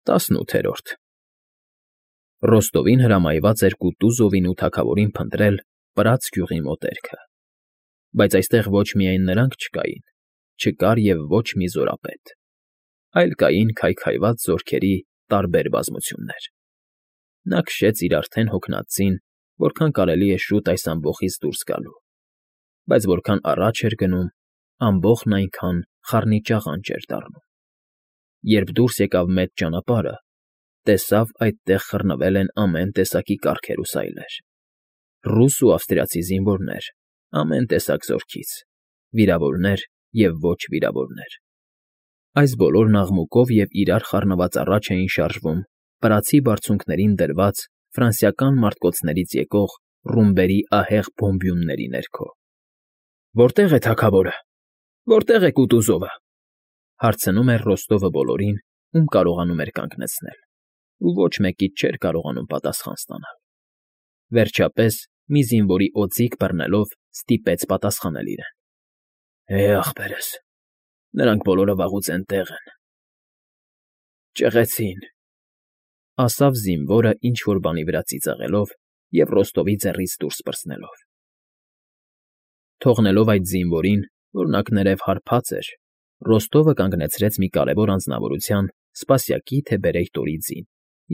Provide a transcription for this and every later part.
18 Ռոստովին հրամայված էր Կուտուզովին ու թագավորին փնտրել Պրած գյուղի մոտերքը, բայց այստեղ ոչ միայն նրանք չկային, չկար և ոչ մի զորապետ, այլ կային քայքայված զորքերի տարբեր բազմություններ։ Նա քշեց իր արդեն հոգնած ձին, որքան կարելի է շուտ այս ամբոխից դուրս գալու, բայց որքան առաջ էր գնում, ամբոխն այնքան խառնիճաղանճ էր դառնում։ Երբ դուրս եկավ մեծ ճանապարհը, տեսավ այդտեղ խռնվել են ամեն տեսակի կառքեր ու սայլեր, ռուս ու ավստրիացի զինվորներ ամեն տեսակ զորքից, վիրավորներ և ոչ վիրավորներ։ Այս բոլորն աղմուկով և իրար խառնված առաջ էին շարժվում Պրացի բարձունքներին դրված ֆրանսիական մարտկոցներից եկող ռումբերի ահեղ բոմբյունների ներքո։ «Որտե՞ղ է թագավորը, որտե՞ղ է Կուտուզովը», հարցնում էր Ռոստովը բոլորին, ում կարողանում էր կանգնեցնել, ու ոչ մեկից չէր կարողանում պատասխան ստանալ։ Վերջապես, մի զինվորի օձիք բռնելով, ստիպեց պատասխանել իրեն. ախպերս, նրանք բոլորը վաղուց էնտեղ են։ Ճղեցին, ասավ զինվորը ինչ֊որ բանի վրա ծիծաղելով և Ռոստովի ձեռքից դուրս պրծնելով։ Թողնելով այդ զինվորին, որ նակներև հարբած էր, Ռոստովը կանգնեցրեց մի կարևոր անձնավորության սպասյակի թե բերեյտորի ձին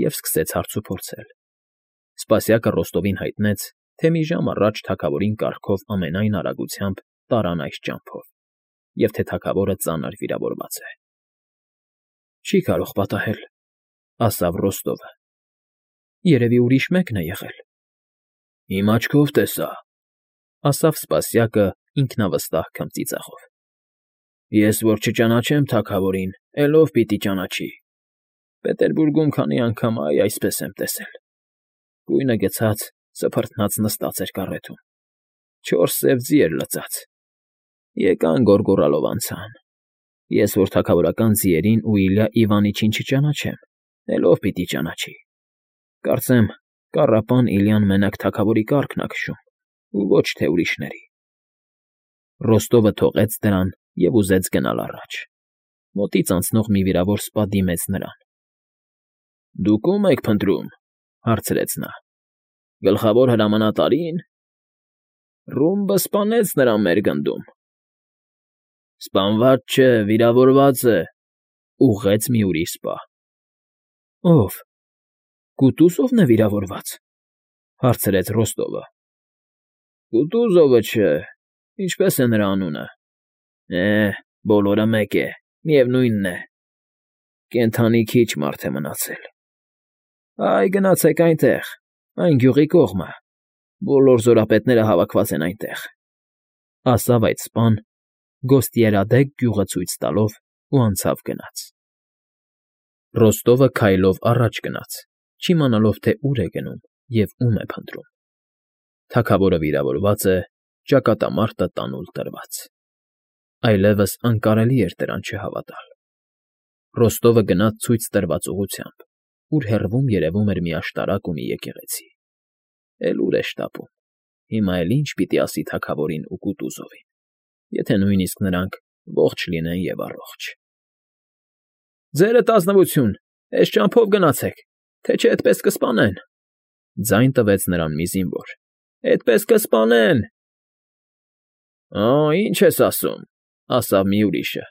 և սկսեց հարցուփորձել։ Սպասյակը Ռոստովին հայտնեց, թե մի ժամ առաջ թագավորին կառքով ամենայն արագությամբ տարան այս ճամփով, և թե թագավորը ծանր վիրավորված է։ Չի կարող պատահել, ասավ Ռոստովը։ Երևի ուրիշ մեկն է եղել։ Իմ աչքով տեսա, ասավ սպասյակը ինքնավստահ քմծիծաղով։ Ես որ չճանաչեմ թագավորին, էլ ով պիտի ճանաչի։ Պետերբուրգում քանի անգամ այսպես եմ տեսել։ Գույնը գցած, սփռտնած նստած էր կառեթում, 4 սև ձի էր լցած։ Եկան գոռգոռալով անցան։ Ես որ թագավորական ձիերին ու Իլյա Իվանիչին չճանաչեմ, էլ ով պիտի ճանաչի։ Կարծեմ, կառապան Իլյան մենակ թագավորի կառքն ա քշում, ու ոչ թե ուրիշների։ Ռոստովը թողեց դրան և ուզեց գնալ առաջ։ Մոտից անցնող մի վիրավոր սպա դիմեց նրան։ Դուք ո՞ւմ եք փնտրում, հարցրեց նա։ Գլխավոր հրամանատարի՞ն։ Ռումբը սպանեց նրան մեր գնդում։ Սպանված չէ, վիրավորված է, ուղղեց մի ուրիշ սպա։ Ո՞վ։ Կուտուզովն է վիրավորված, հարցրեց Ռոստովը։ Կուտուզովը չէ, ինչպես է նրա անունը։ Բոլորը մեկ է, միևնույնն է։ Կենդանի քիչ մարդ է մնացել։ Այ գնացեք այնտեղ, այն գյուղի կողմը, բոլոր զորապետները հավաքված են այնտեղ, ասավ այդ սպան, Գոստիերադեք գյուղը ցույց տալով ու անցավ գնաց։ Ռոստովը քայլով առաջ գնաց, չիմանալով, թե ուր է գնում և ում է փնտրում։ Թագավորը վիրավորված է, ճակատամարտը տանուլ տրված։ Այլևս անկարելի էր դրան չհավատալ։ Ռոստովը գնաց ցույց տրված ուղղությամբ, ուր հեռվում երևում էր մի աշտարակ ու մի եկեղեցի։ Էլ ուր է շտապում։ Հիմա էլ ինչ պիտի ասի թագավորին ու Կուտուզովին, եթե նույնիսկ նրանք ողջ լինեն և առողջ։ Ձերդ ազնվություն, էս ճամփով գնացեք, թե չէ էդպես կսպանեն, ձայն տվեց նրան մի զինվոր։ Էդպես կսպանեն։ Ինչ ես ասում, ասավ մի ուրիշը։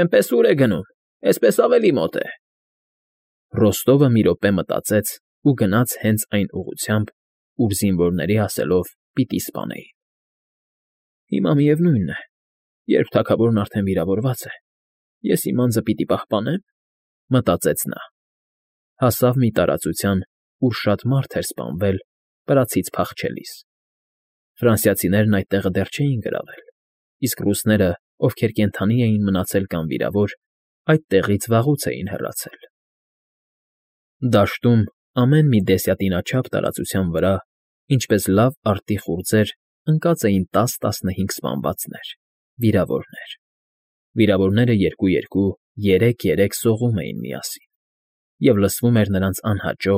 Էնպես ուր է գնում, էսպես ավելի մոտ է։ Ռոստովը մի րոպե մտածեց ու գնաց հենց այն ուղղությամբ, ուր զինվորների ասելով պիտի սպանեին։ Հիմա միևնույնն է, երբ թագավորն արդեն վիրավորված է, ես իմ անձը պիտի պահպանե՞մ, մտածեց նա։ Հասավ մի տարածության, ուր շատ մարդ էր սպանվել Պրացից փախչելիս։ Ֆրանսիացիներն այդ տեղը դեռ չէին գրավել, իսկ ռուսները, ովքեր կենդանի էին մնացել կամ վիրավոր, այդ տեղից վաղուց էին հեռացել։ Դաշտում ամեն մի դեսյատինաչափ տարածության վրա, ինչպես լավ արդի խուրձեր, ընկած էին 10-15 սպանվածներ, վիրավորներ։ Վիրավորները երկու-երկու, 3-3 սողում էին միասին, և լսվում էր նրանց անհաճո,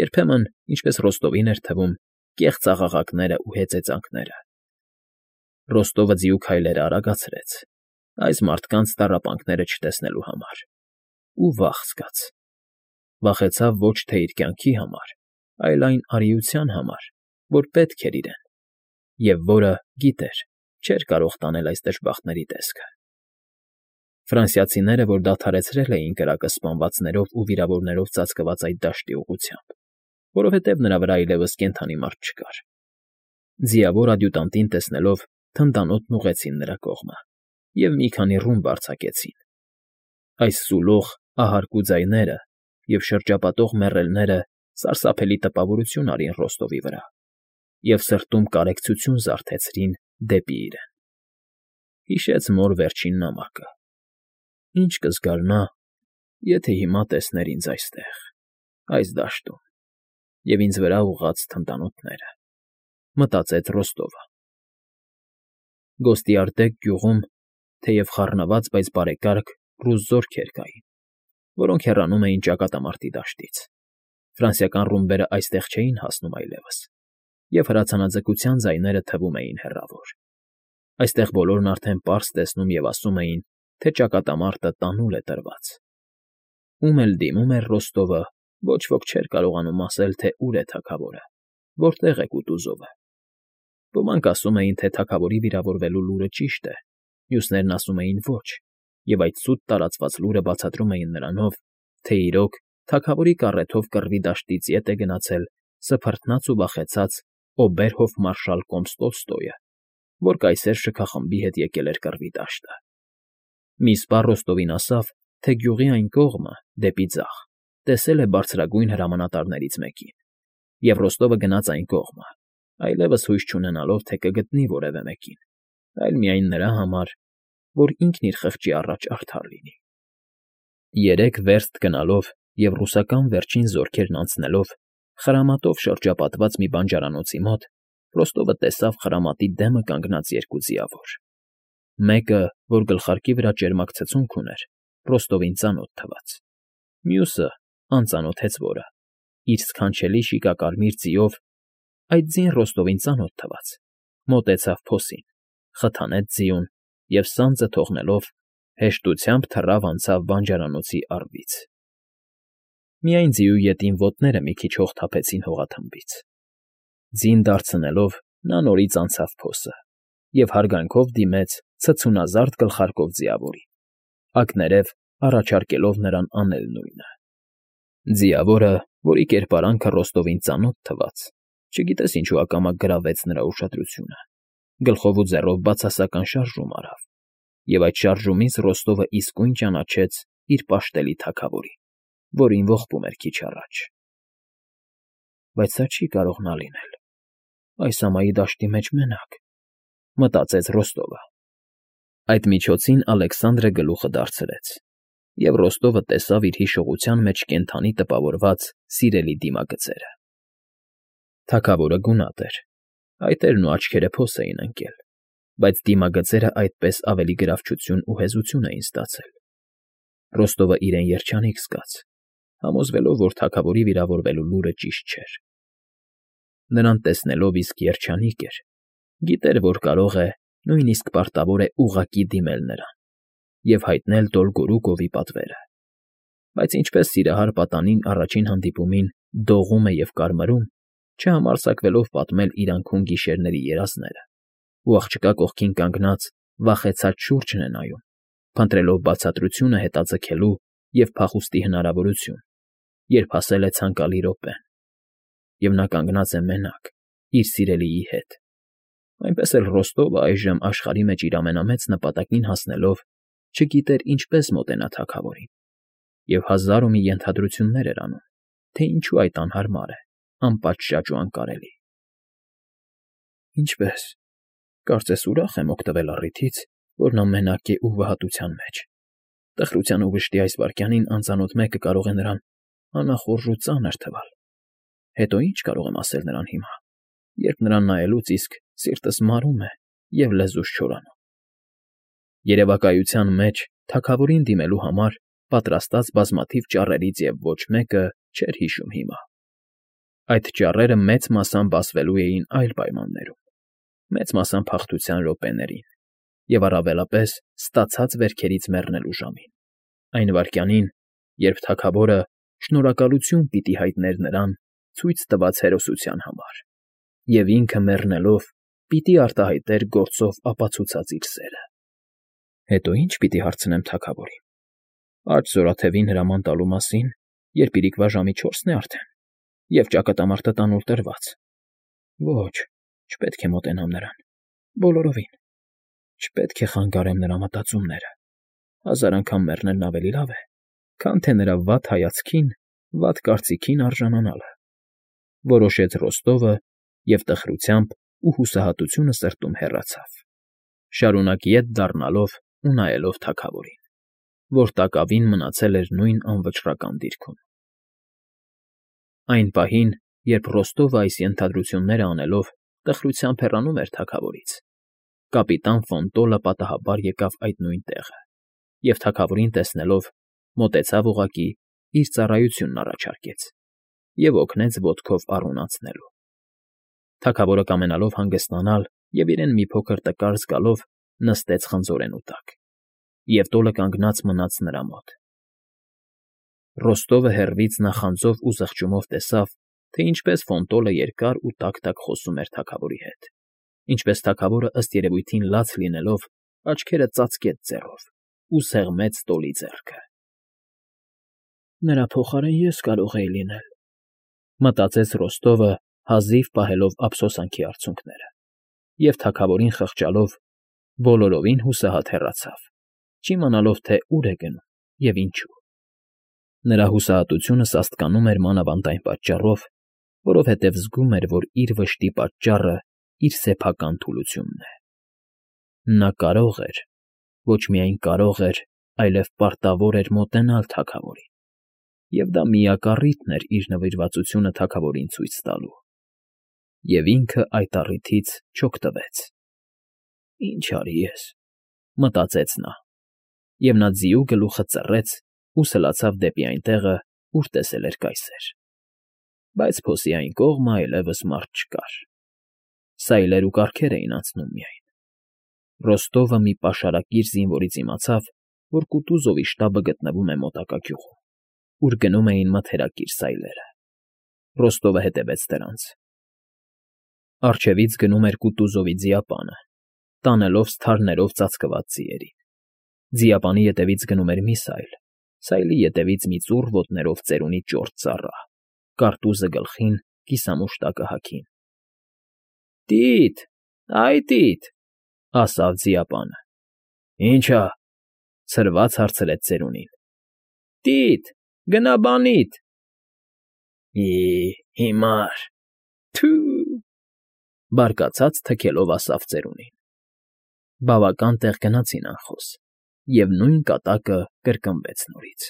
երբեմն, ինչպես Ռոստովին էր թվում, կեղծ աղաղակները ու հեծեծանքները։ Ռոստովը ձիու քայլերը արագացրեց, այս մարդկանց տառապանքները չտեսնելու համար, ու վախ զգաց։ Վախեցավ ոչ թե իր կյանքի համար, այլ այն արիության համար, որ պետք էր իրեն, և որը, գիտեր, չէր կարող տանել այս դժբախտների տեսքը։ Ֆրանսիացիները, որ դադարեցրել էին կրակը սպանվածներով ու վիրավորներով ծածկված այդ դաշտի ուղղությամբ, որովհետև նրա վրա այլևս կենդանի մարդ չկար։ Ձիավոր ադյուտանտին տեսնելով թնդանոթն ուղղեցին նրա կողմը և մի քանի ռումբ արձակեցին։ Այս սուլող, ահարկու ձայները և շրջապատող մեռելները սարսափելի տպավորություն արին Ռոստովի վրա և սրտում կարեկցություն զարթեցրին դեպի իրեն։ Հիշեց մոր վերջին նամակը. «Ինչ կզգար նա, եթե հիմա տեսներ ինձ այստեղ, այս դաշտում, և ինձ վրա ուղղած թնդանոթները», մտածեց Ռոստովը։ Գոստիարդեկ գյուղում թեև խառնված, բայց բարեկարգ ռուս զորքեր կային, որոնք հեռանում էին ճակատամարտի դաշտից։ Ֆրանսիական ռումբերը այստեղ չէին հասնում այլևս, և հրացանաձգության ձայները թվում էին հեռավոր։ Այստեղ բոլորն արդեն պարզ տեսնում և ասում էին, թե ճակատամարտը տանուլ է տրված։ Ում էլ դիմում էր Ռոստովը, ոչ ոք չէր կարողանում ասել, թե ուր է թագավորը, որտեղ է Կուտուզովը։ Ոմանք ասում էին, թե թագավորի վիրավորվելու լուրը ճիշտ է, մյուսներն ասում էին ոչ, և այդ սուտ տարածված լուրը բացատրում էին նրանով, թե իրոք թագավորի կառեթով կռվի դաշտից ետ է գնացել սփռթնած ու վախեցած օբերհոֆմարշալ Կոմստոլստոյը, որ կայսեր շքախմբի հետ եկել էր կռվի դաշտը։ Մի սպա Ռոստովին ասավ, թե գյուղի այն կողմը, դեպի ձախ, տեսել է բարձրագույն հրամանատարներից մեկին, և Ռոստովը գնաց այն կողմը, այլևս հույս չունենալով, թե կգտնի որևէ մեկին, այլ միայն նրա համար, որ ինքն իր խղճի առաջ արդար լինի։ 3 վերստ գնալով և ռուսական վերջին զորքերն անցնելով, խրամատով շրջապատված մի բանջարանոցի մոտ, Ռոստովը տեսավ խրամատի դեմը կանգնած 2 ձիավոր։ Մեկը, որ գլխարկի վրա ճերմակ ցցունք ուներ, Ռոստովին ծանոթ թվաց։ Մյուսը, անծանոթ հեծվորը, իր սքանչելի շիկակարմիր ձիով, այդ ձին Ռոստովին ծանոթ թվաց, մոտեցավ փոսին, խթանեց ձիուն և սանձը թողնելով, հեշտությամբ թռավ անցավ բանջարանոցի առվից։ Միայն ձիու ետին ոտները մի քիչ հող թափեցին հողաթմբից։ Ձին դարձնելով՝ նա նորից անցավ փոսը և հարգանքով դիմեց ցցունազարդ գլխարկով ձիավորին, ակներև առաջարկելով նրան անել նույնը։ Ձիավորը, որի կերպարանքը Ռոստովին ծանոթ թվաց, չգիտես ինչու ակամա գրավեց նրա ուշադրությունը, գլխով ու ձեռով բացասական շարժում արավ, և այդ շարժումից Ռոստովը իսկույն ճանաչեց իր պաշտելի թագավորին, որին ողբում էր քիչ առաջ։ «Բայց սա չի կարող նա լինել, այս ամայի դաշտի մեջ մենակ», մտածեց Ռոստովը։ Այդ միջոցին Ալեքսանդրը գլուխը դարձրեց, և Ռոստովը տեսավ իր հիշողության մեջ կենդանի տպավորված սիրելի դիմագծերը։ Թագավորը գունատ էր, այտերն ու աչքերը փոս էին ընկել, բայց դիմագծերը այդպես ավելի գրավչություն ու հեզություն էին ստացել։ Ռոստովը իրեն երջանիկ զգաց, համոզվելով, որ թագավորի վիրավորվելու լուրը ճիշտ չէր։ Նրան տեսնելով իսկ երջանիկ էր, գիտեր, որ կարող է, նույնիսկ պարտավոր է ուղղակի դիմել նրան և հայտնել Դոլգորուկովի պատվերը։ Բայց ինչպես Սիրահար պատանին առաջին հանդիպումին դողում է և կարմրում, չհամարձակվելով պատմել իր անքուն գիշերների երազները, ու աղջկա կողքին կանգնած վախեցած շուրջն է նայում, փնտրելով բացատրությունը հետաձգելու և փախուստի հնարավորություն, երբ հասել է ցանկալի րոպեն, և նա կանգնած է մենակ, իր սիրելիի հետ, այնպես էլ Ռոստովը այժմ աշխարհի մեջ իր ամենամեծ նպատակին հասնելով չգիտեր ինչպես մոտենա թագավորին, և հազար ու մի ենթադրություններ էր անում, թե ինչու այդ անհարմար է, անպատշաճ ու անկարելի։ «Ինչպե՞ս, կարծես ուրախ եմ օգտվել առիթից, որ նա մենակ է ու վհատության մեջ, տխրության ու վշտի այս վայրկյանին անծանոթ մեկը կարող է նրան անախորժ ու ծանր թվալ։ Հետո ի՞նչ կարող եմ ասել նրան հիմա, երբ նրան նայելուց իսկ սիրտս մարում է և լեզուս չորանում»։ Երևակայության մեջ թագավորին դիմելու համար պատրաստած բազմաթիվ ճառերից և ոչ մեկը չէր հիշում հիմա։ Այդ ճառերը մեծ մասամբ ասվելու էին այլ պայմաններում, մեծ մասամբ հաղթության րոպեներին և առավելապես ստացած վերքերից մեռնելու ժամին, այն վայրկյանին, երբ թագավորը, շնորհակալություն պիտի հայտներ նրան ցույց տված հերոսության համար, և ինքը մեռնելով պիտի արտահայտեր գործով ապացուցած իր սերը։ Հետո ի՞նչ պիտի հարցնեմ թագավորին։ Աջ զորաթևին հրաման տալու մասին, երբ իրիկվա ժամի 4-ն է արդեն, և ճակատամարտը տանուլ տրված։ Ոչ, չպետք է մոտենամ նրան, բոլորովին։ Չպետք է խանգարեմ նրա մտածումները։ 1000 անգամ մեռնելն ավելի լավ է, քան թե նրա վատ հայացքին, վատ կարծիքին արժանանալը, որոշեց Ռոստովը և տխրությամբ ու հուսահատությունը սրտում հեռացավ, շարունակ ետ դառնալով ու նայելով թագավորին, որ տակավին մնացել էր նույն անվճռական դիրքում։ Այն պահին, երբ Ռոստովը այս ենթադրությունները անելով տխրությամբ հեռանում էր թագավորից, կապիտան Ֆոնտոլը պատահաբար եկավ այդ նույն տեղը և թագավորին տեսնելով մոտեցավ ուղղակի իր ծառայությունն առաջարկեց և օգնեց ոտքով առուն անցնելու։ Թագավորը կամենալով հանգստանալ և իրեն մի փոքր տկար զգալով նստեց խնձորենու տակ, և տոլը կանգնած մնաց նրա մոտ։ Ռոստովը հեռվից նախանձով ու զղջումով տեսավ, թե ինչպես Ֆոնտոլը երկար ու տաք֊տաք խոսում էր թագավորի հետ, ինչպես թագավորը ըստ երևույթին լաց լինելով աչքերը ծածկեց ձեռով ու սեղմեց տոլի ձեռքը։ «Նրա փոխարեն ես կարող էի լինել,֊ մտածեց Ռոստովը, հազիվ պահելով ափսոսանքի արցունքները, և թագավորին խղճալով բոլորովին հուսահատ հեռացավ, չիմանալով, թե ուր է գնում և ինչու։ Նրա հուսահատությունը սաստկանում էր մանավանդ այն պատճառով, որովհետև զգում էր, որ իր վշտի պատճառը իր սեփական թուլությունն է։ Նա կարող էր, ոչ միայն կարող էր, այլև պարտավոր էր մոտենալ թագավորին, և դա միակ առիթն էր իր նվիրվածությունը թագավորին ցույց տալու։ Եվ ինքը այդ առիթից չօգտվեց։ «Ինչ արի ես,֊ մտածեց նա, և նա ձիու գլուխը ծռեց ու սլացավ դեպի այն տեղը, ուր տեսել էր կայսեր։ Բայց փոսի այն կողմը այլևս մարդ չկար. սայլեր ու կառքեր էին անցնում միայն։ Ռոստովը մի պաշարակիր զինվորից իմացավ, որ Կուտուզովի շտաբը գտնվում է մոտակա գյուղում, ուր գնում էին մթերակիր սայլերը։ Ռոստովը հետևեց դրանց։ Առջևից գնում էր Կուտուզովի ձիապանը, տանելով սթարներով ծածկված ձիերին։ Ձիապանի ետևից գնում էր մի սայլ, սայլի ետևից մի ծուռ ոտներով ծերունի ճորտ ծառա, կարտուզը գլխին, կիսամուշտակը հագին։ «Տի՛տ, այ տի՛տ,֊ ասաց ձիապանը։ «Ի՞նչ ա,֊ ցրված հարցրեց ծերունին։ «Տի՛տ, գնա բանիդ»։ Հիմար, թո՛ւ,֊ բարկացած թքելով ասաց ծերունին։ Բավական տեղ գնացին անխոս, և նույն կատակը կրկնվեց նորից։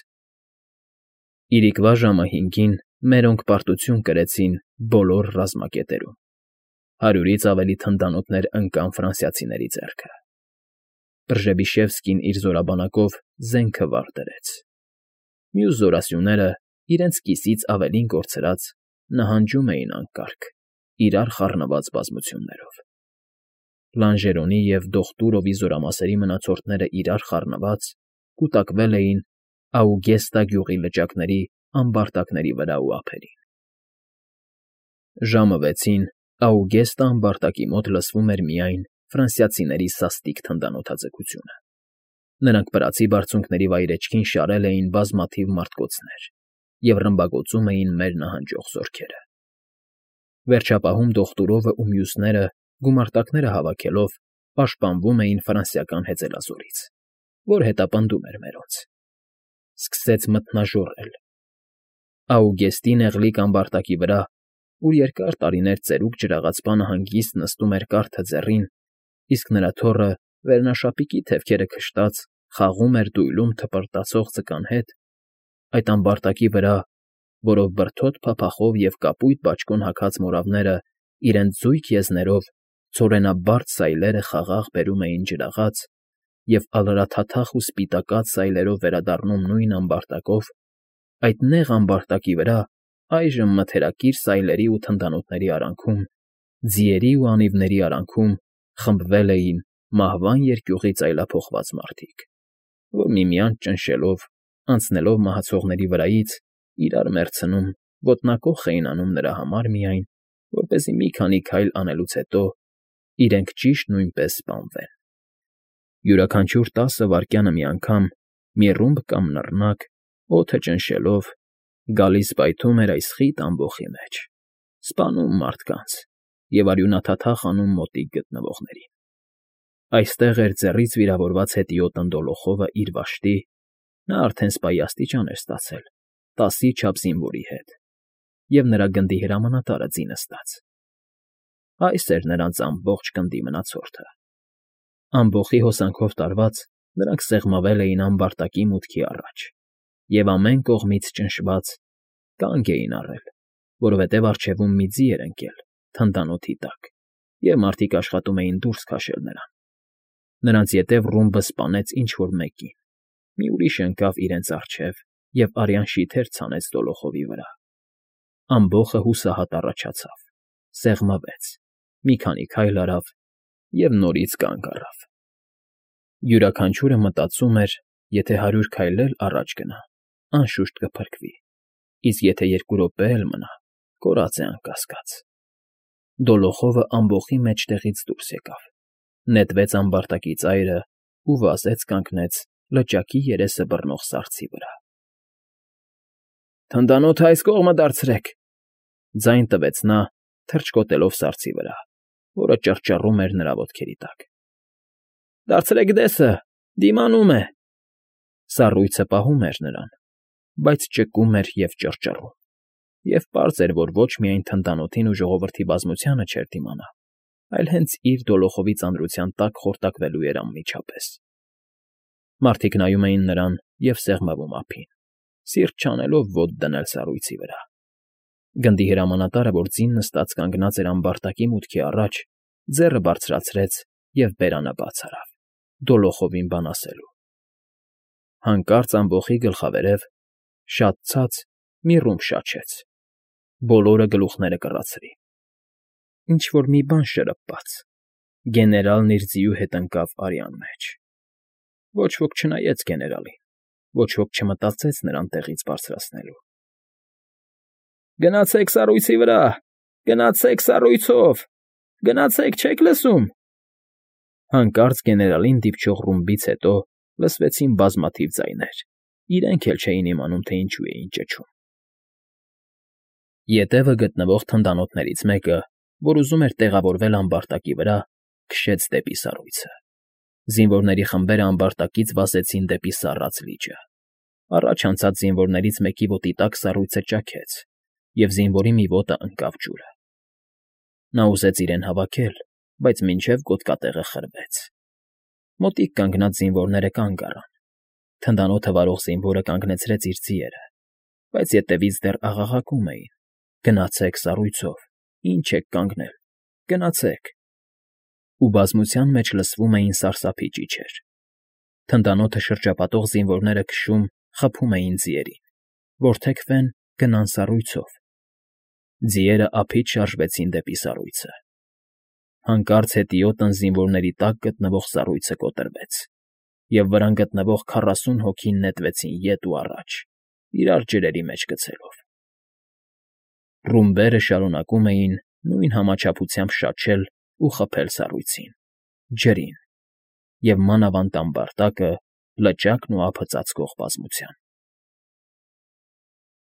Իրիկվա ժամը 5-ին մերոնք պարտություն կրեցին բոլոր ռազմակետերում։ 100-ից ավելի թնդանոթներ ընկան ֆրանսիացիների ձեռքը։ Պրժեբիշևսկին իր զորաբանակով զենքը վար դրեց։ Մյուս զորասյուները, իրենց կիսից ավելին կորցրած, նահանջում էին անկարգ, իրար խառնված բազմություններով։ Լանժերոնի և Դոխտուրովի զորամասերի մնացորդները իրար խառնված, կուտակվել էին Աուգեստա գյուղի լճակների ամբարտակների վրա ու ափերին։ Ժամը 6-ին Աուգեստա ամբարտակի մոտ լսվում էր միայն ֆրանսիացիների սաստիկ թնդանոթաձգությունը։ Նրանք վրացի բարձունքների վայրէջքին շարել էին բազմաթիվ մարտկոցներ և ռմբակոծում էին մեր նահանջող զորքերը։ Վերջապահում Դոխտուրովը ու մյուսները գումարտակները հավաքելով պաշտպանվում էին ֆրանսիական հեծելազորից, որ հետապնդում էր մերոնց։ Սկսեց մթնաժոռել։ Աուգեստի նեղլիկ ամբարտակի վրա, ուր երկար տարիներ ծերուկ ջրաղացպանը հանգիստ նստում էր կարթը ձեռին, իսկ նրա թոռը վերնաշապիկի թևքերը քշտած խաղում էր դույլում թպրտացող ձկան հետ, այդ ամբարտակի վրա, որով բրդոտ փափախով և կապույտ բաճկոն հագած մորավները իրենց զույգ եզներով ցորենաբարդ սայլերը խաղաղ բերում էին ջրաղաց և ալրաթաթախ ու սպիտակած սայլերով վերադառնում նույն ամբարտակով, այդ նեղ ամբարտակի վրա այժմ մթերակիր սայլերի ու թնդանոթների արանքում, ձիերի ու անիվների արանքում խմբվել էին մահվան երկյուղից այլափոխված մարդիկ, որ միմյանց ճնշելով, անցնելով մահացողների վրայից, իրար մեռցնում, ոտնակոխ էին անում նրա համար միայն, որպեսզի մի քանի քայլ անելուց հետո իրենք ճիշտ նույնպես սպանվեն։ Յուրաքանչյուր 10 վայրկյանը մի անգամ մի ռումբ կամ նռնակ, օդը ճնշելով, գալիս պայթում էր այս խիտ ամբոխի մեջ, սպանում մարդկանց և արյունաթաթախ անում մոտիկ գտնվողներին։ Այստեղ էր ձեռից վիրավորված հետիոտն Դոլոխովը իր վաշտի, նա արդեն սպայի աստիճան էր ստացել 10-ի չափ զինվորի հետ, և նրա գնդի հրամանատարը ձի նստած։ Այս էր նրանց ամբողջ գնդի մնացորդը։ Ամբոխի հոսանքով տարված՝ նրանք սեղմվել էին ամբարտակի մուտքի առաջ և ամեն կողմից ճնշված կանգ էին առել, որովհետև առջևում մի ձի էր ընկել թնդանոթի տակ, և մարդիկ աշխատում էին դուրս քաշել նրան։ Նրանց ետև ռումբը սպանեց ինչ֊որ մեկին, մի ուրիշ ընկավ իրենց առջև և արյան շիթեր ցանեց Դոլոխովի վրա։ Ամբոխը հուսահատ առաջացավ, սեղմվեց, մի քանի քայլ արավ և նորից կանգ առավ։ Յուրաքանչյուրը մտածում էր, եթե 100 քայլ էլ առաջ գնա, անշուշտ կփրկվի, իսկ եթե 2 րոպե էլ մնա, կորած է անկասկած։ Դոլոխովը ամբոխի մեջտեղից դուրս եկավ, նետվեց ամբարտակի ծայրը ու վազեց կանգնեց լճակի երեսը բռնող սառցի վրա։ «Թնդանոթը այս կողմը դարձրեք,֊ ձայն տվեց նա, թռչկոտելով սառցի վրա, որը ճռճռում էր նրա ոտքերի տակ։ Դարձրեք դեսը, դիմանում է…» Սառույցը պահում էր նրան, բայց ճկում էր և ճռճռում, և պարզ էր, որ ոչ միայն թնդանոթին ու ժողովրդի բազմությանը չէր դիմանա, այլ հենց իր Դոլոխովի ծանրության տակ խորտակվելու էր անմիջապես։ Մարդիկ նայում էին նրան և սեղմվում ափին, սիրտ չանելով ոտք դնել սառույցի վրա։ Գնդի հրամանատարը, որ ձին նստած կանգնած էր ամբարտակի մուտքի առաջ, ձեռը բարձրացրեց և բերանը բաց արավ՝ Դոլոխովին բան ասելու։ Հանկարծ ամբոխի գլխավերև, շատ ցած, մի ռումբ շաչեց, բոլորը գլուխները կռացրին։ Ինչ֊որ մի բան շրպաց, գեներալն իր ձիու հետ ընկավ արյան մեջ։ Ոչ ոք չնայեց գեներալին, ոչ ոք չմտածեց նրան տեղից բարձրացնելու։ «Գնացեք սառույցի վրա, գնացեք սառույցով, գնացեք, չե՞ք լսում…»։ Հանկարծ գեներալին դիպչող ռումբից հետո լսվեցին բազմաթիվ ձայներ, իրենք էլ չէին իմանում, թե ինչու էին ճչում։ Ետևը գտնվող թնդանոթներից մեկը, որ ուզում էր տեղավորվել ամբարտակի վրա, քշեց դեպի սառույցը։ Զինվորների խմբերը ամբարտակից վազեցին դեպի սառած լիճը։ Առաջ անցած զինվորներից մեկի ոտի տակ սառույցը ճաքեց, և զինվորի մի ոտը ընկավ ջուրը։ Նա ուզեց իրեն հավաքել, բայց մինչև գոտկատեղը խրվեց։ Մոտիկ կանգնած զինվորները կանգ առան։ Թնդանոթը վարող զինվորը կանգնեցրեց իր ձիերը, բայց ետևից դեռ աղաղակում էին. «Գնացեք սառույցով, ինչ եք կանգնել, գնացեք…» Ու բազմության մեջ լսվում էին սարսափի ճիչեր։ Թնդանոթը շրջապատող զինվորները քշում, խփում էին ձիերին, որ թեքվեն, գնան սառույցով։ Ձիերը ափից շարժվեցին դեպի սառույցը։ Հանկարծ հետիոտն զինվորների տակ գտնվող սառույցը կոտրվեց, և վրան գտնվող 40 հոգի նետվեցին ետ ու առաջ, իրար ջրերի մեջ գցելով։ Ռումբերը շարունակում էին նույն համաչափությամբ շաչել ու խփել սառույցին, ջրին և մանավանդ ամբարտակը, լճակն ու ափը ծածկող բազմության։